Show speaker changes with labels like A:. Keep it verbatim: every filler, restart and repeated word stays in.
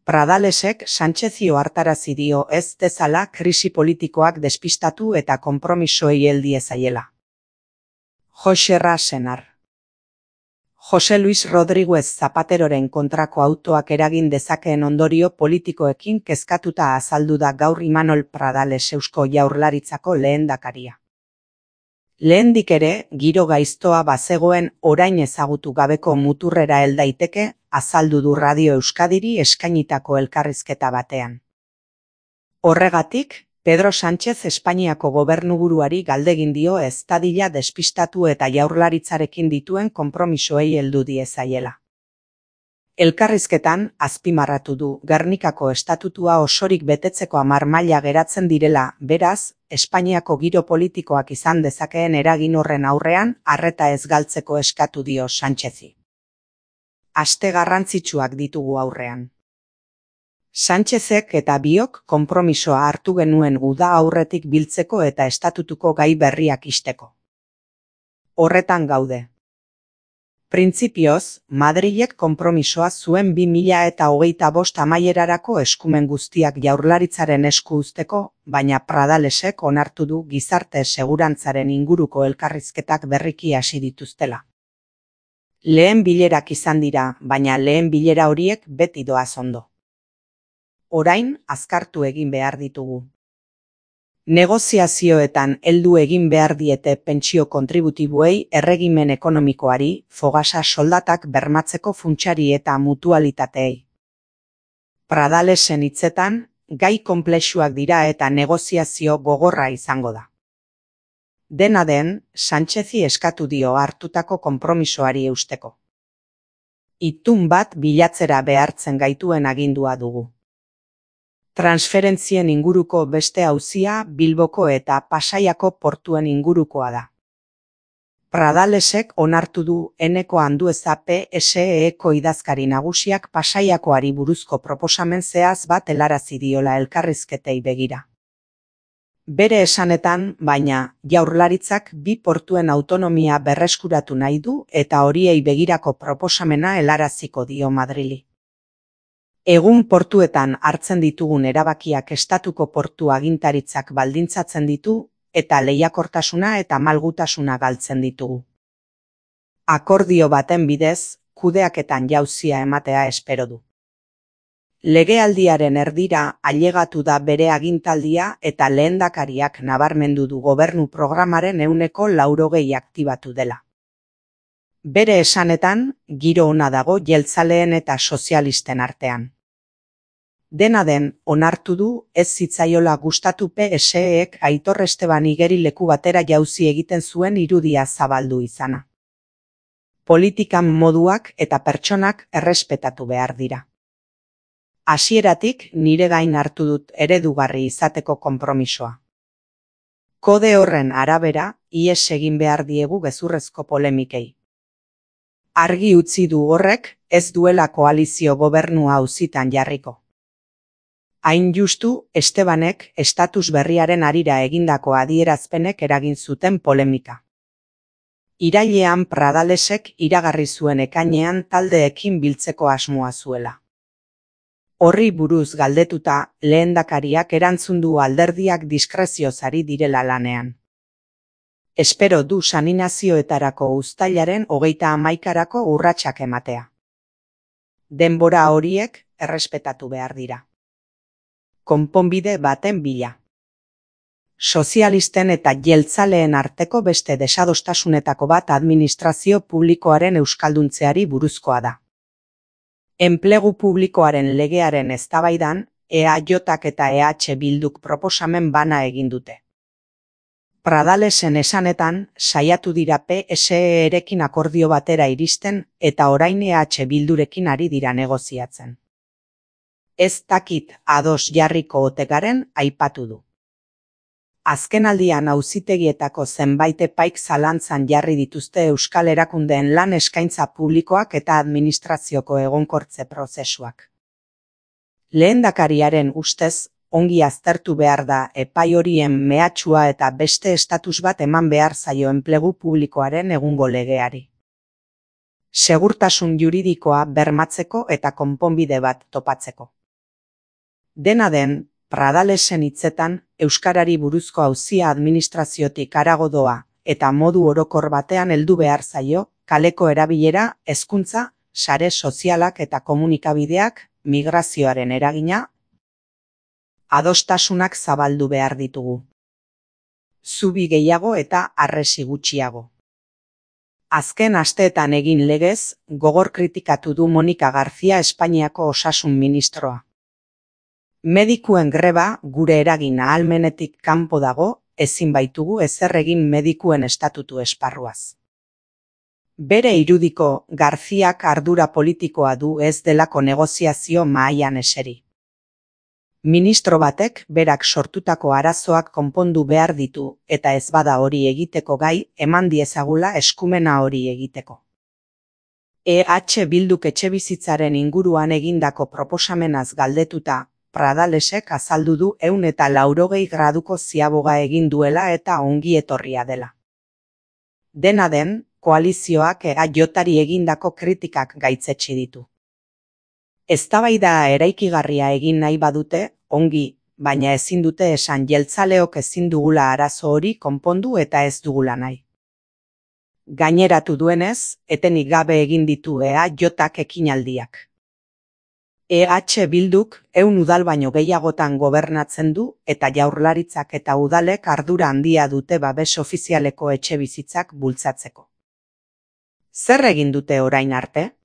A: Pradalesek Sanchezi ohartarazi dio ez dezala krisi politikoak despistatu eta konpromisoei hel diezaiela. Jose Rasenar. Jose Luis Rodríguez Zapateroren kontrako autoak eragin dezakeen ondorio politikoekin kezkatuta azaldu da gaur Imanol Pradales Eusko Jaurlaritzako lehendakaria. Lehendik ere, giro gaiztoa bazegoen orain ezagutu gabeko muturrera hel daiteke, azaldu du Radio Euskadiri eskainitako elkarrizketa batean. Horregatik, Pedro Sánchez Espainiako gobernuburuari galdegin dio ez dadila despistatu eta Jaurlaritzarekin dituen konpromisoei heldu diezaiela. Elkarrizketan, azpimarratu du, Gernikako estatutua osorik betetzeko hamar maila geratzen direla, beraz, Espainiako giro politikoak izan dezakeen eragin horren aurrean, arreta ez galtzeko eskatu dio Sánchezi. Aste garrantzitsuak ditugu aurrean. Sánchezek eta biok konpromisoa hartu genuen uda aurretik biltzeko eta estatutuko gai berriak ixteko. Horretan gaude. Printzipioz, Madrilek konpromisoa zuen bi mila eta hogeita bost amaierarako eskumen guztiak Jaurlaritzaren esku uzteko, baina Pradalesek onartu du gizarte segurantzaren inguruko elkarrizketak berriki hasi dituztela. Lehen bilerak izan dira, baina lehen bilera horiek beti doaz ondo. Orain, azkartu egin behar ditugu. Negoziazioetan heldu egin behar diete pentsio kontributiboei, erregimen ekonomikoari, fogasa soldatak bermatzeko funtsari eta mutualitateei. Pradalesen hitzetan, gai konplexuak dira eta negoziazio gogorra izango da. Dena den, Sánchezi eskatu dio hartutako konpromisoari eusteko. Itun bat bilatzera behartzen gaituen agindua dugu. Transferentzien inguruko beste auzia Bilboko eta Pasaiako portuen ingurukoa da. Pradalesek onartu du Eneko Andueza P S E-ko idazkari nagusiak Pasaiakoari buruzko proposamen zehaz bat helarazi diola elkarrizketei begira. Bere esanetan, baina, Jaurlaritzak bi portuen autonomia berreskuratu nahi du eta horiei begirako proposamena helaraziko dio Madrili. Egun portuetan hartzen ditugun erabakiak estatuko portu agintaritzak baldintzatzen ditu eta lehiakortasuna eta malgutasuna galtzen ditugu. Akordio baten bidez, kudeaketan jauzia ematea espero du. Legealdiaren erdira ailegatu da bere agintaldia eta lehendakariak nabarmendu du gobernu programaren ehuneko laurogei aktibatu dela. Bere esanetan, giro ona dago jeltzaleen eta sozialisten artean. Dena den, onartu du ez zitzaiola gustatu P S E-ek Aitor Esteban igerileku batera jauzi egiten zuen irudia zabaldu izana. Politikan moduak eta pertsonak errespetatu behar dira. Hasieratik nire gain hartu dut eredugarri izateko konpromisoa. Kode horren arabera, ihes egin behar diegu gezurrezko polemikei. Argi utzi du horrek ez duela koalizio gobernua auzitan jarriko. Hain justu, Estebanek estatus berriaren harira egindako adierazpenek eragin zuten polemika. Irailean Pradalesek iragarri zuen ekainean taldeekin biltzeko asmoa zuela. Horri buruz galdetuta, lehendakariak erantzun du alderdiak diskrezioz ari direla lanean. Espero du saninazioetarako uztailaren hogeita hamaikarako urratsak ematea. Denbora horiek errespetatu behar dira. Konponbide baten bila. Sozialisten eta jeltzaleen arteko beste desadostasunetako bat administrazio publikoaren euskalduntzeari buruzkoa da. Enplegu publikoaren legearen eztabaidan, E A Jak eta E H Bilduk proposamen bana egin dute. Pradalesen esanetan, saiatu dira P S E-erekin akordio batera iristen eta orain E H Bildurekin ari dira negoziatzen. Ez dakit ados jarriko ote garen aipatu du. Azkenaldian auzitegietako zenbait epaik zalantzan jarri dituzte euskal erakundeen lan eskaintza publikoak eta administrazioko egonkortze prozesuak. Lehendakariaren ustez, ongi aztertu behar da epai horien mehatxua eta beste estatus bat eman behar zaio enplegu publikoaren egungo legeari. Segurtasun juridikoa bermatzeko eta konponbide bat topatzeko. Dena den, Pradalesen hitzetan, euskarari buruzko auzia administraziotik harago doa eta modu orokor batean heldu behar zaio, kaleko erabilera, hezkuntza, sare sozialak eta komunikabideak, migrazioaren eragina, adostasunak zabaldu behar ditugu. Zubi gehiago eta harresi gutxiago. Azken asteetan egin legez, gogor kritikatu du Monika García Espainiako osasun ministroa. Medikuen greba gure eragin ahalmenetik kanpo dago, ezin baitugu ezer egin medikuen estatutu esparruaz. Bere irudiko Garziak ardura politikoa du ez delako negoziazio mahaian eseri. Ministro batek berak sortutako arazoak konpondu behar ditu eta ez bada hori egiteko gai eman diezagula eskumena hori egiteko. E H Bilduk etxebizitzaren inguruan egindako proposamenaz galdetuta, Pradalesek azaldu du ehun eta laurogei graduko ziaboga egin duela eta ongi etorria dela. Dena den, koalizioak E H-ari egindako kritikak gaitzetsi ditu. Eztabaida eraikigarria egin nahi badute, ongi, baina ezin dute esan jeltzaleok ezin dugula arazo hori konpondu eta ez dugula nahi. Gaineratu duenez, etenik gabe egin ditu E H-ak ekinaldiak. E H Bilduk ehun udal baino gehiagotan gobernatzen du eta jaurlaritzak eta udalek ardura handia dute babes ofizialeko etxebizitzak bultzatzeko. Zer egin dute orain arte?